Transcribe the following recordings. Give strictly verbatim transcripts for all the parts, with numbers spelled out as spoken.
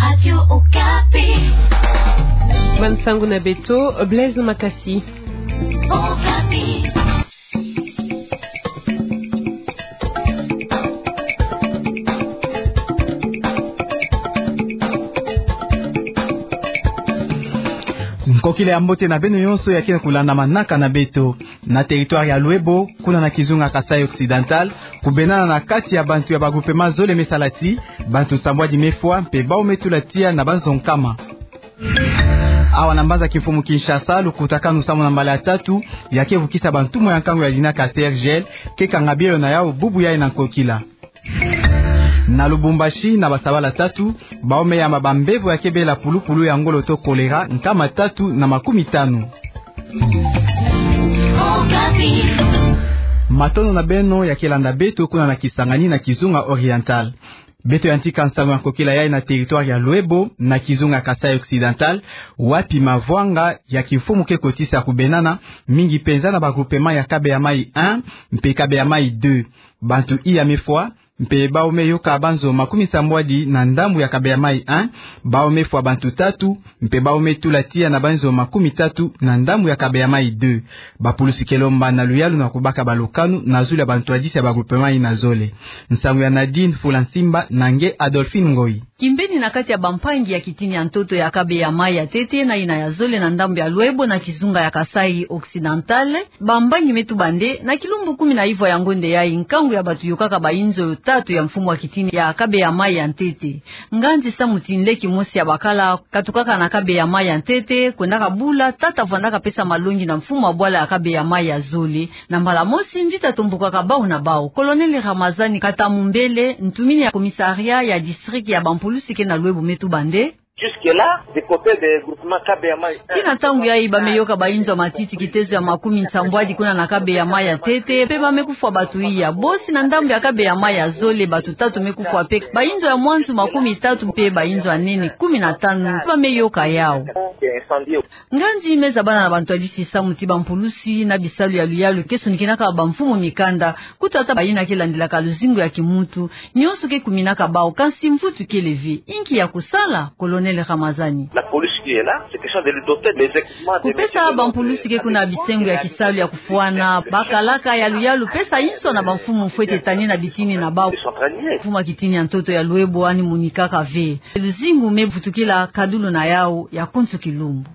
Radio Okapi. Bansangu na beto, Blaise Makasi. Okapi. Nkokila ya mbote na beno nyonso ya ke na kulanda manaka na beto. Na territoire ya Loebo, kuna na kizunga Kasaï Occidental, kubenana na kati ya bantu ya ba groupement zole me sala ti bantu sambwadi me fwa mpe bawu me tula tiya na banzo nkama. Awa na mbanza kimfumu Kinshasa, lukutakanu samu na mbala ya tatu ya ke vukisa bantumwa ya nkangu ya linaka C R G L ke kanga bielo na yawu bubu yayi na nkokila. Na Lubumbashi, na basabala tatu, bawu me yamba bambevo ya ke bela pulupulu ya ngolo to choléra nkama tatu na makumi tanu. Matondo na beno ya ke landa beto kuna na Kisangani na kizunga Oriental. Beto yantika nsangu ya nkokila yayi na territoire ya Loebo na kizunga Kasaï Occidental, wapi mavwanga ya kimfumu ke kotisa kubenana mingi mpenza na ba groupement ya Kabeya Mayi un mpe Kabeya Mayi deux. Bantu iya me fwa, mpe bawu me yoka banzo makumi sambwadi na ndambu ya Kabeya Mayi un, bawu me fwa bantu tatu, mpe bawu me tula tiya na banzo makumi tatu na ndambu ya Kabeya Mayi deux. Bapulusi ke lomba na luyalu na kubaka balukanu na zulu ya bantwadisi ya ba groupement yina zole. Nsangu ya Nadine Fula Nsimba na nge Adolphine Ngoyi. Kimbeni na kati ya bampangi ya kitini ya ntoto ya Kabeya Mayi ya ntete na yina ya zole na ndambu ya Loebo na kizunga ya Kasaï Occidental, bambangi me tuba nde na kilumbu kumi na ivwa ya ngonde yayi, nkangu ya bato yokaka bayinzo tatu ya mfumu wa kitini ya Kabeya Mayi ya ntete. Nganzi samu ti nleki mosi ya bakala katukaka na Kabeya Mayi ya ntete, kwendaka bula tata vwandaka pesa malongi na mfumu wa bwala ya Kabeya Mayi ya zole. Na mbala mosi, mvita tombokaka bawu na bawu. Colonel Ramazani Katamumbele, ntumini ya commissariat ya district ya bampulusi ke na Loebo me tuba nde: Jusque-là, du côté des groupements Kabeya Mayi un, kina ntangu yayi ba me yoka bayinzo ya matiti kitezo ya makumi nsambwadi kuna na Kabeya Mayi ya ntete, mpe ba me kufwa bato iya. Bosi na ndambu ya Kabeya Mayi ya zole, bato tatu me kufwa mpe bayinzo ya mwanzu makumi tatu mpe bayinzo ya nene kumi na tanu, ba me yoka yawu. Nganzi me zabana na bantwadisi samu ti bampulusi na bisalu ya luyalu ke sonikinaka bamfumu mikanda, kutu ata bayina ke landilaka luzingu ya kimuntu, nyonso ke kuminaka bawu, kansi mvutu kele ve. Inki ya kusala, Colonel Ramazani? La police qui est là, c'est question de lui doter des équipements, des méthodes. Kupesa bampulusi ke kuna bisengo ya kisalu ya kufwana, bakalaka ya luyalu, pesa inso na bamfumu fwete tani na bitini na bawu. Décentralisé. Mfumu wa kitini ya ntoto ya Loebo ani monikaka ve. Luzingu me vutukila kadulu na yawu ya konso kilumbu.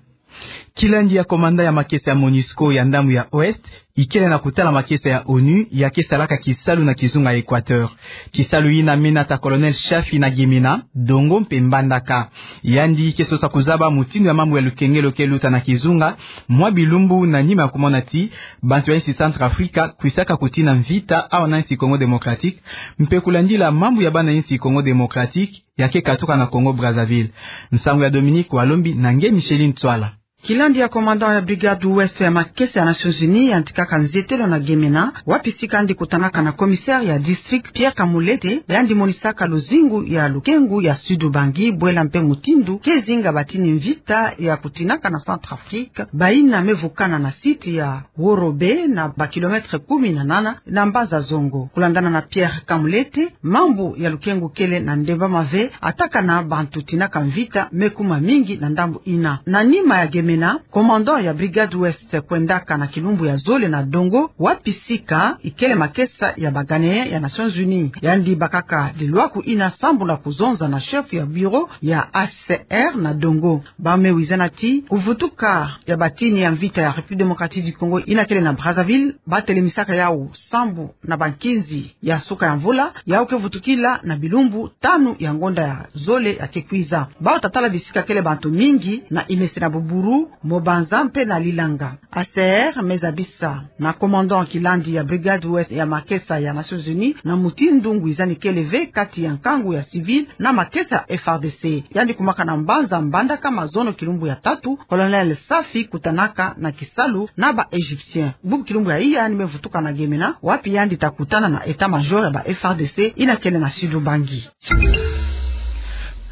Kilandi ya commandant ya makesa ya MONUSCO ya ndambu ya Ouest ikele na kutala makesa ya ONU ya ke salaka kisalu na kizunga Équateur. Kisalu yina me nata colonel Shafi na Gemena, Dongo mpe Mbandaka. Yandi ke sosa kuzaba mutindu ya mambu ya lukengelo ke luta na kizunga mwa bilumbu na nima ya kumona ti bantu ya insi Centrafrique kwisaka kutina mvita awa na insi Congo Démocratique, mpe kulandila mambu ya bana insi Congo Démocratique ya ke katuka na Congo Brazzaville. Nsangu ya Dominique Walombi na nge Micheline Tswala. Kilandi ya commandant ya brigade Ouest ya makesa ya Nations Unies yantikaka nzetelo na Gemena, wapi sika yandi kutanaka na commissaire ya district Pierre Kamulete, yandi monisaka luzingu ya lukengu ya Sud-Ubangi, bwela mpe mutindu ke zinga batini mvita ya kutinaka na Centrafrique, bayina me vukana na site ya Worobe na ba kilomètre kumi na nana na mbanza Zongo. Kulandana na Pierre Kamulete, mambu ya lukengu kele na ndembama ve, ata kana bantu tinaka mvita me kuma mingi na ndambu yina. Na nima ya Gemena, commandant ya brigade Ouest kwendaka na kilumbu ya zole na Dongo, wapi sika ikele makesa ya ba Ghanéens ya Nations Unies. Yandi bakaka lilwaku yina sambu na kuzonza na chef ya bureau ya H C R na Dongo. Ba me wizana ti kuvutuka ya batini ya mvita ya République Démocratique du Congo yina kele na Brazzaville, ba telemisaka yawu sambu na bankinzi ya suka ya mvula, yawu ke vutukila na bilumbu tanu ya ngonda ya zole ya ke kwiza. Bawu ta tala bisika kele bantu mingi na Imese na Buburu, Mobanza mpe na Lilanga. H C R me zabisa na commandant kilandi ya brigade Ouest ya makesa ya Nations Unies na mutindu ngwizani kele ve kati ya nkangu ya civil na makesa ya F A R D C. Yandi kumaka na mbanza Mbandaka mazono kilumbu ya tatu, colonel Shafi kutanaka na kisalu na ba Égyptiens. Bubu kilumbu ya iya yandi me vutuka na Gemena, wapi yandi ta kutana na état-major ya ba F A R D C yina kele na Sud-Ubangi.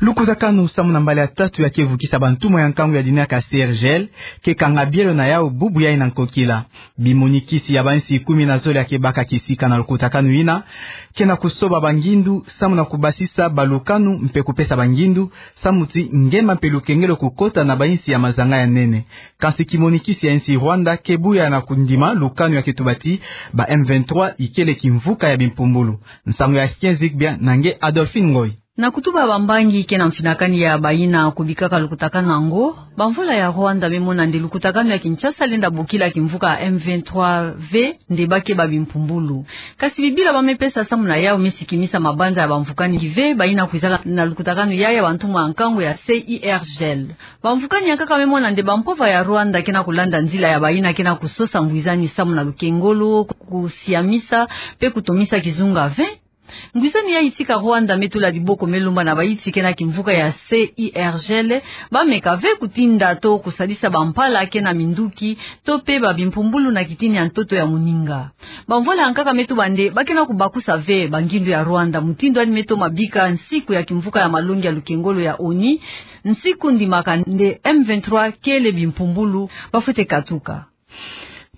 Lukutakanu samu na mbala ya tatu ya ke vukisa bantumwa ya nkangu ya dinaka C R G L, ke kanga bielo na yau bubu yai na nkokila. Bimonikisi ya bansi kumi na zole ya ke baka kisika na lukutakanu ina, ke na kusoba bangindu, samu na kubasisa balukanu mpe kupesa bangindu, samu ti ngema mpe lukengelo kukota na bansi ya mazanga ya nene. Kansi kimonikisi ya nsi Rwanda ke buya na kundima lukanu ya ke tuba ti ba M vingt-trois ikele kimvuka ya bimpumbulu. Nsangu ya Etienne Zigbia na nge Adolphine Ngoy. Na kutuba bambangi ke na mfinakani ya bayina kubikaka lukutakanu yango, bamvula ya Rwanda me mona nde lukutakanu ya Kinshasa lenda bokila kimvuka M vingt-trois ve nde ba ke ba bimpumbulu. Kasi bibila ba me pesa samu na yau me sikimisa mabanza ya bamvukani ve bayina kwizaka na lukutakanu yai ya bantumwa ya nkangu ya C I R G L. Bamvukani ya nkaka me mona nde bampova ya Rwanda ke na kulanda nzila ya bayina ke na kusosa ngwizani samu na lukengolo, kusiamisa, mpe kutomisa kizunga ve. Ngwizani ya itika Rwanda me tula diboko me lomba na bayiti ke na kimvuka ya C I R G L, ba meka ve kutinda to kusadisa bampala ke na minduki, to mpe ba bimpumbulu na kitini ya ntoto ya moninga. Bamvula ya nkaka me tuba nde ba ke na kubakusa ve bangindu ya Rwanda, mutindu yandi me toma bika nsiku ya kimvuka ya malongi ya lukengolo ya ONU, nsiku ndimaka nde M vingt-trois kele bimpumbulu, ba fwete katuka.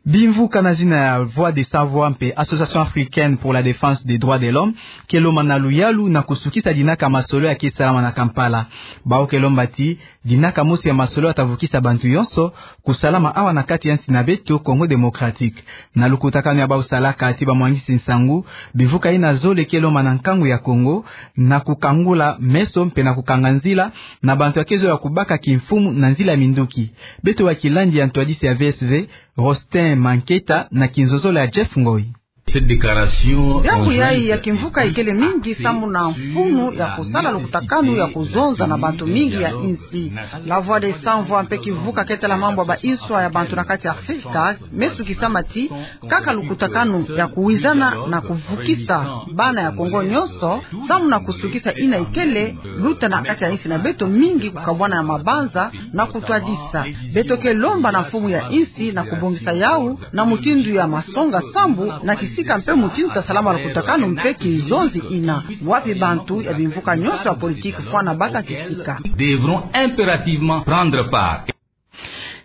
Bimvuka na zina ya Voix des Sans Voix mpe Association Africaine pour la Défense des Droits de l'Homme ke lomba na luyalu na kusukisa dinaka masolo ya ke salama na Kampala. Bau ke lomba ti dinaka mosi ya masolo ya ta vukisa bantu yonso kusalama awa na kati ya nsi na beto Congo Démocratique. Na lukutakanu ya bau salaka ti bamwangisi nsangu, bimvuka yina zole ke lomba na nkangu ya Congo na kukangula meso mpe na kukanga nzila na bantu ya ke zola kubaka kimfumu na nzila ya minduki. Beto wa kilandi ya ntwadisi ya V S V, Rostin Manketa, na kinzozolo ya Jeff Ngoy. Cette déclaration... Diambu yai ya kimvuka ikele mingi samu na mfunu ya kusala lukutakanu ya kuzonza na bantu mingi ya insi. La Voix des Sans Voix mpe kivuka ke tala mambu ya ba inswa ya bantu na kati ya Afrika me sukisama ti kaka lukutakanu ya kuwizana na kuvukisa bana ya Congo nyonso, samu na kusukisa yina ikele luta na kati ya insi na beto mingi, kukabwana ya mabanza na kutwadisa. Beto ke lomba na mfumu ya insi na kubongisa yau na mutindu ya masonga sambu na kisika mpe mutindu ta salama lukutakanu mpe kizonzi yina, wapi bantu ya bimvuka nyonso ya politique fwana baka kisika. Devront impérativement prendre part.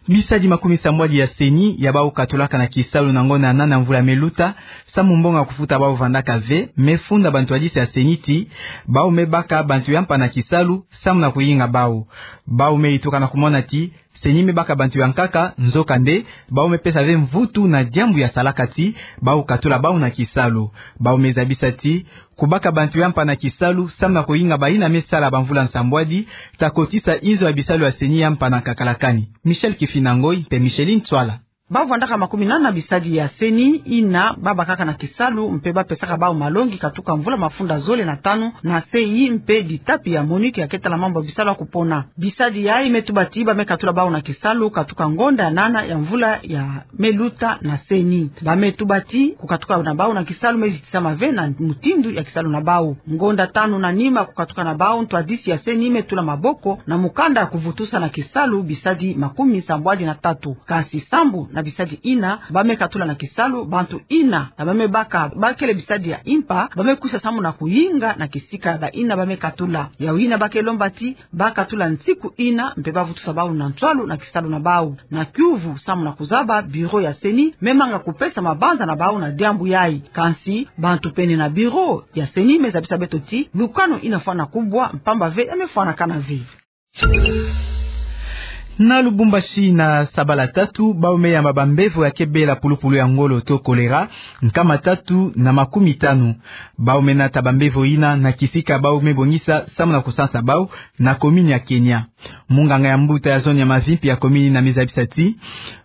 Bisadi makumi sambwadi ya CENI ya bau katulaka na kisalu na ngonda ya nana mvula me luta, samu mbongo ya kufuta bau vandaka ve, me funda bantwadisi ya CENI ti bau me baka bantu ya mpa na kisalu samu na kuyinga bau. Bau me yituka na kumona ti CENI me baka bantu ya nkaka, nzokande bau me pesa ve mvutu na diambu ya salaka ti bau katula bau na kisalu. Bau me zabisa ti kubaka bantu ya mpa na kisalu samu na kuyinga bayina me sala bamvula nsambwadi ta kotisa inzo ya bisalu ya CENI ya mpa na nkakalakani. Michel Kifina Ngoy mpe Micheline Tswala. Bau vandaka makumi nana bisadi ya CENI yina ba bakaka na kisalu mpe ba pesaka bau malongi katuka mvula mafunda zole na tanu na se yi mpe ditapi ya MONUC ya ke tala mambu ya bisalu ya kupona. Bisadi yai me tuba ti ba me katula bau na kisalu katuka ngonda ya nana ya mvula ya me luta na CENI. Ba me tuba ti kukatuka na bau na kisalu me zitisama ve na mutindu ya kisalu na bau. Ngonda tanu na nima kukatuka na bau, ntwadisi ya CENI me tula maboko na mukanda ya kuvutusa na kisalu bisadi makumi sambwadi na tatu. Kansi sambu na bisadi yina ba me katula na kisalu, bantu yina ya ba me baka ba kele bisadi ya mpa ba me kwisa samu na kuyinga na kisika ya bayina ba me katula. Yau yina ba ke lomba ti ba katula nsiku yina mpe ba vutusa bau na ntwalu na kisalu na bau. Na kiuvu samu na kuzaba, bureau ya CENI me manga kupesa mabanza na bau na diambu yai. Kansi bantu pene na bureau ya CENI me zabisa beto ti lukanu yina fwana kubwa, mpamba ve ya me fwanakana ve. Na Lubumbashi, na sabala tatu, bau me yamba bambevo ya ke bela pulupulu ya ngolo to choléra nkama tatu na makumi tanu. Bau me nata bambevo yina na kisika bau me bongisa samu na kusansa bau na commune ya Kenya. Munganga ya mbuta ya zone ya Mavimpi ya commune yina me zabisa ti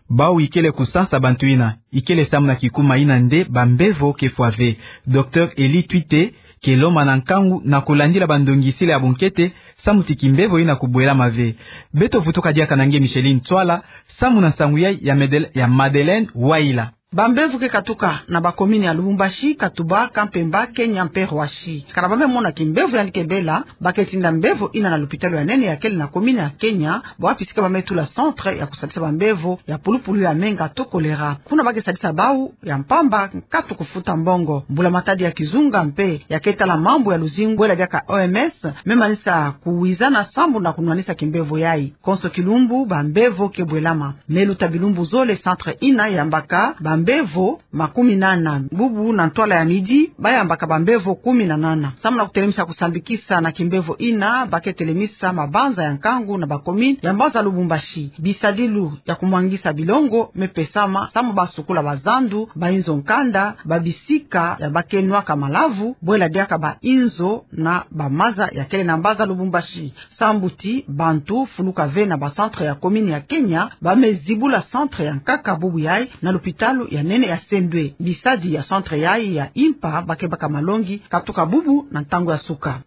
bau ikele kusansa bantu yina ikele samu na kikuma yina nde bambevo ke fwa ve. Docteur Eli Twite ke lomba na nkangu na kulandila bandongisila ya bunkete samu ti kimbevo yina kubwelama ve. Beto vutuka diaka na nge Micheline Tswala samu na nsangu yai ya Medel-, ya Madeleine Waila. Bambevo ke katuka na bakomini ya Lubumbashi, Katuba, Kampemba, Kenya mpe Roissy. Kana ba me mona kimbevo yandi ke bela, ba ke tinda mbevo ina na lupitalu ya nene ya kele na komini ya Kenya, bwapi sika ba me tula centre ya kusadisa bambevo ya pulupulu ya menga to choléra. Kuna ba ke sadisa bau ya mpamba, nkatu kufuta mbongo. Mbula-matadi ya kizunga mpe ya ke tala mambu ya luzingu, bwela diaka O M S, me manisa kuwizana sambu na kunwanisa kimbevo yai. Konso kilumbu, bambevo ke bwelama. Me luta bilumbu zole centre ina yambaka bambevo makumi nana. Bubu na ntwala ya midi, ba yambaka bambevo kumi na nana. Samu na kutelemisa kusambikisa na kimbevo ina, ba ke telemisa mabanza ya nkangu na bakomini ya mbanza Lubumbashi. Bisadilu ya kumwangisa bilongo me pesama, samu ba sukula bazandu, bainzo nkanda, babisika ya ba ke nwaka malavu, bwela diaka bainzo na bamaza ya kele na mbanza Lubumbashi. Sambu ti bantu fuluka ve na bacentre ya komini ya Kenya, ba me zibula centre ya nkaka bubu yai na lupitalu ya nene ya Sendwe. Bisadi ya centre yai ya impa ba ke baka malongi katuka bubu na ntangu ya suka.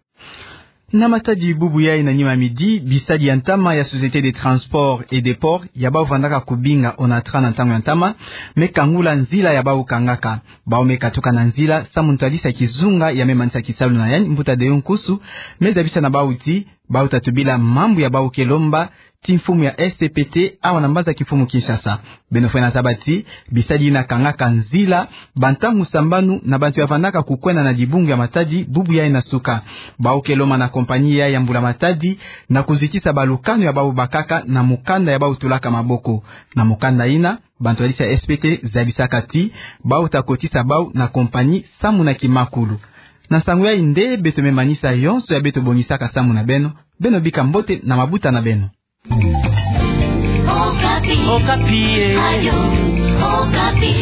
Na matadi bubu yai na nima midi, bisadi ya ntama ya Société des Transports et des Ports, ya bau vandaka kubinga ONATRA na ntangu ya ntama, me kangula nzila ya bau kangaka. Bau me katuka na nzila, samu ntadisa kizunga ya me manisa kisalu na yandi, mbuta Deyo Nkusu me zabisa na bau ti, bau ta tubila mambu ya bau ke lomba ti mfumu ya S P T awa na mbanza kimfumu Kinshasa. Beno fwene zaba ti, bisadi ina kangaka nzila bantangu sambanu na bantu ya vandaka kukwenda na dibungu ya matadi bubu yai na suka. Bau ke lomba na compagnie yai ya mbula-matadi na kuzitisa balukanu ya bau bakaka na mukanda ya bau tulaka maboko. Na mukanda ina, bantwadisi ya S P T zabisaka ti, bau ta kotisa bau na compagnie samu na kimakulu. Na nsangu yai nde beto me manisa yonso ya beto bongisaka samu na beno. Beno bika mbote na mabuta na beno. Okapi. Okapi, eh. Radio Okapi.